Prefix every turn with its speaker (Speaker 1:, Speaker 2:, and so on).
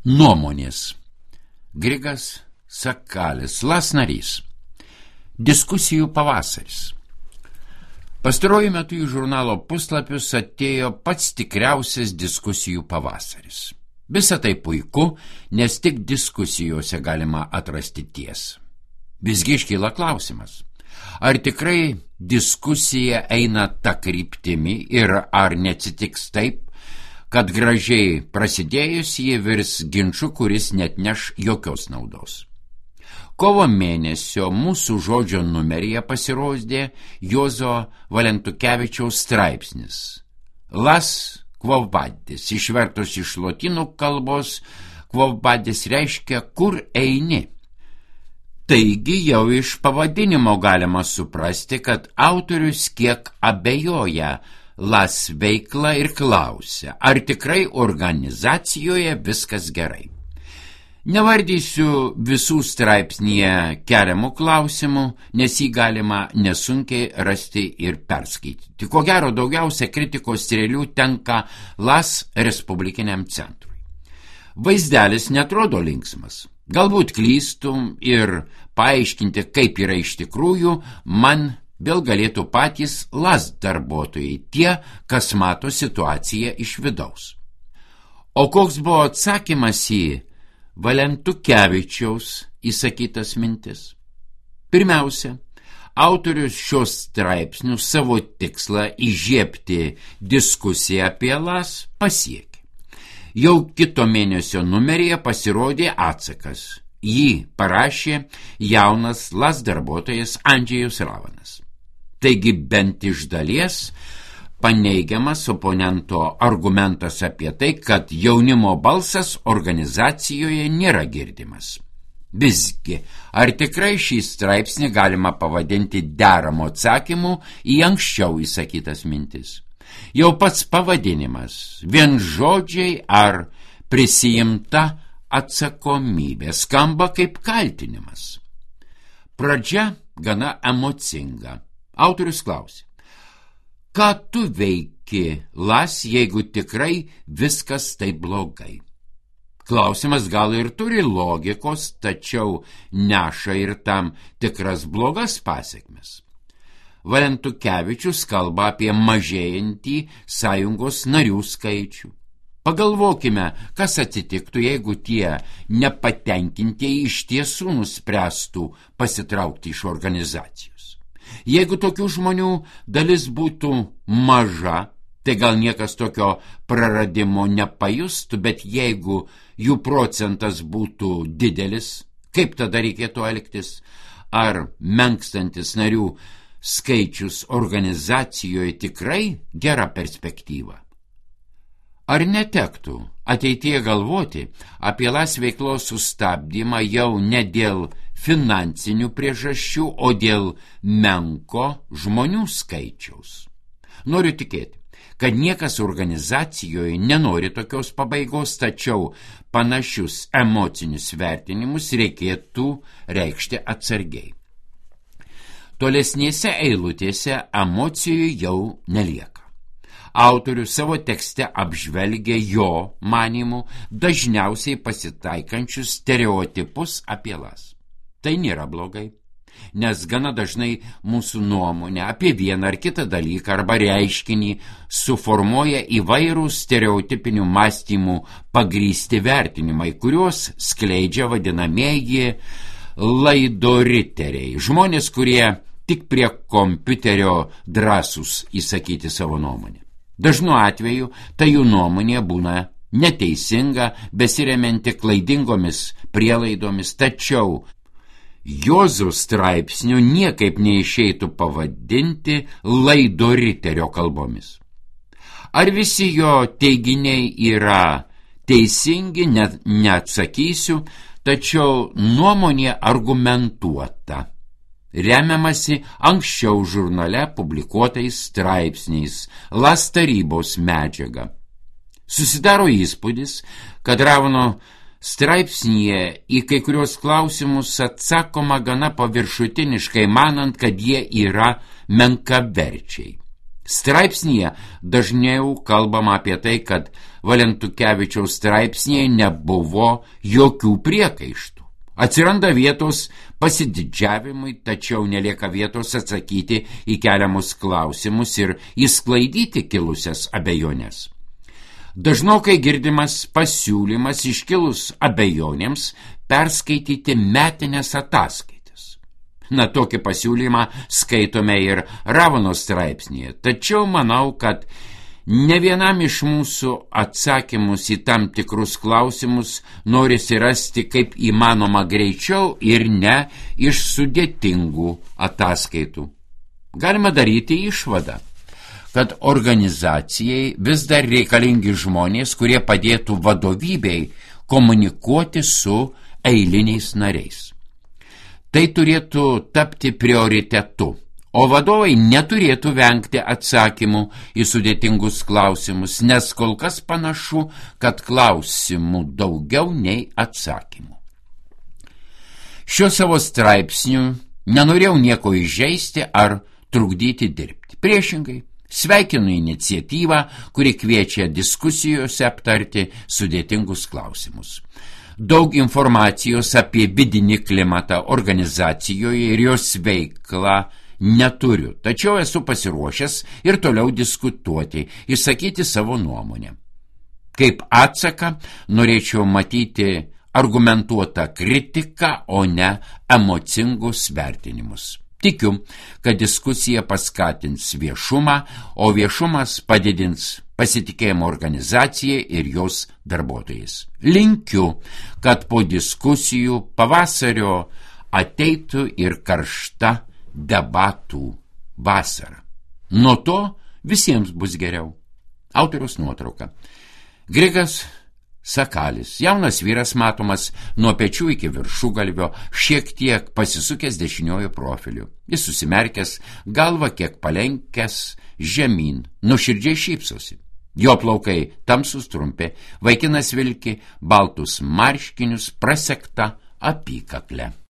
Speaker 1: Nuomonės. Grigas Sakalis, LAS narys. Diskusijų pavasaris. Pastaruoju metu į žurnalo puslapius atėjo pats tikriausias diskusijų pavasaris. Visa tai puiku, nes tik diskusijose galima atrasti tiesą. Visgi iškyla klausimas, ar tikrai diskusija eina ta kryptimi ir ar neatsitiks taip, kad gražiai prasidėjus jie virs ginču, kuris netneš jokios naudos. Kovo mėnesio mūsų žodžio numeryje pasirodė Juozo Valentukevičiaus straipsnis LAS Quo vadis, išvertus iš lotynų kalbos, Quo vadis reiškia kur eini. Taigi jau iš pavadinimo galima suprasti, kad autorius kiek abejoja LAS veikla ir klausia, ar tikrai organizacijoje viskas gerai. Nevardysiu visų straipsnyje keliamų klausimų, nes jį galima nesunkiai rasti ir perskaityti. Ko gero daugiausia kritikos strėlių tenka LAS Respublikiniam centrui. Vaizdelis netrodo linksmas. Galbūt klystum ir paaiškinti, kaip yra iš tikrųjų, man vėl galėtų patys LAS darbuotojai, tie, kas mato situaciją iš vidaus. O koks buvo atsakymas į Valentukevičiaus įsakytas mintis? Pirmiausia, autorius šios straipsnių savo tikslą įžiebti diskusiją apie LAS pasiekė. Jau kito mėnesio numeryje pasirodė atsakas. Jį parašė jaunas LAS darbuotojas Andžejus Ravanas. Taigi bent iš dalies paneigiamas oponento argumentas apie tai, kad jaunimo balsas organizacijoje nėra girdimas. Visgi, ar tikrai šį straipsnį galima pavadinti deramu atsakymu į anksčiau įsakytas mintis? Jau pats pavadinimas, vien žodžiai ar prisijimta atsakomybė skamba kaip kaltinimas. Pradžia gana emocinga. Autorius klausė, ką tu veiki LAS, jeigu tikrai viskas taip blogai? Klausimas gal ir turi logikos, tačiau neša ir tam tikras blogas pasekmes. Valentukevičius kalba apie mažėjantį sąjungos narių skaičių. Pagalvokime, kas atsitiktų, jeigu tie nepatenkintieji iš tiesų nuspręstų pasitraukti iš organizacijos. Jeigu tokių žmonių dalis būtų maža, tai gal niekas tokio praradimo nepajustų, bet jeigu jų procentas būtų didelis, kaip tada reikėtų elgtis? Ar menkstantis narių skaičius organizacijoje tikrai gera perspektyva? Ar netektų ateityje galvoti apie LAS veiklos sustabdymą jau ne dėl finansinių priežasčių, o dėl menko žmonių skaičiaus? Noriu tikėti, kad niekas organizacijoje nenori tokios pabaigos, tačiau panašius emocinius vertinimus reikėtų reikšti atsargiai. Tolesnėse eilutėse emocijų jau nelieka. Autorius savo tekste apžvelgia jo manymu dažniausiai pasitaikančius stereotipus apie LAS. Tai nėra blogai, nes gana dažnai mūsų nuomonę apie vieną ar kitą dalyką arba reiškinį suformuoja įvairūs stereotipinių mąstymų pagrįsti vertinimai, kuriuos skleidžia vadinamieji laidoriteriai, žmonės, kurie tik prie kompiuterio drąsūs įsakyti savo nuomonę. Dažnu atveju tai jų nuomonė būna neteisinga, besiremianti klaidingomis prielaidomis, tačiau Juozo straipsnių niekaip neišeitų pavadinti laidoriterio kalbomis. Ar visi jo teiginiai yra teisingi, neatsakysiu, tačiau nuomonė argumentuota. Remiamasi anksčiau žurnale publikuotais straipsniais, LAS tarybos medžiaga. Susidaro įspūdis, kad Ravano straipsnyje į kai kurios klausimus atsakoma gana paviršutiniškai, manant, kad jie yra menkaverčiai. Straipsnyje dažniau kalbama apie tai, kad Valentukevičiaus straipsnyje nebuvo jokių priekaištų. Atsiranda vietos pasididžiavimui, tačiau nelieka vietos atsakyti į keliamus klausimus ir išsklaidyti kilusias abejonės. Dažnokai girdimas pasiūlymas iškilus abejonėms perskaityti metinės ataskaitas. Tokį pasiūlymą skaitome ir Ravonos straipsnėje, tačiau manau, kad ne vienam iš mūsų atsakymus į tam tikrus klausimus norisi rasti kaip įmanoma greičiau ir ne iš sudėtingų ataskaitų. Galima daryti išvadą, kad organizacijai vis dar reikalingi žmonės, kurie padėtų vadovybei komunikuoti su eiliniais nariais. Tai turėtų tapti prioritetu, o vadovai neturėtų vengti atsakymų į sudėtingus klausimus, nes kol kas panašu, kad klausimų daugiau nei atsakymų. Šiuo savo straipsniu nenorėjau nieko įžeisti ar trukdyti dirbti. Priešingai, sveikinu iniciatyvą, kuri kviečia diskusijose aptarti sudėtingus klausimus. Daug informacijos apie vidinį klimatą organizacijoje ir jos veiklą neturiu, tačiau esu pasiruošęs ir toliau diskutuoti, išsakyti savo nuomonę. Kaip atsaką norėčiau matyti argumentuotą kritiką, o ne emocingus vertinimus. Tikiu, kad diskusija paskatins viešumą, o viešumas padidins pasitikėjimo organizacijai ir jos darbuotojais. Linkiu, kad po diskusijų pavasario ateitų ir karšta debatų vasara. Nuo to visiems bus geriau. Autoriaus nuotrauka. Grigas Sakalis, jaunas vyras matomas nuo pečių iki viršugalvio, šiek tiek pasisukęs dešiniuoju profiliu. Jis susimerkęs, galva kiek palenkęs žemyn, nuoširdžiai šypsosi. Jo plaukai tamsūs trumpi, vaikinas vilki baltus marškinius prasegta apykaklę.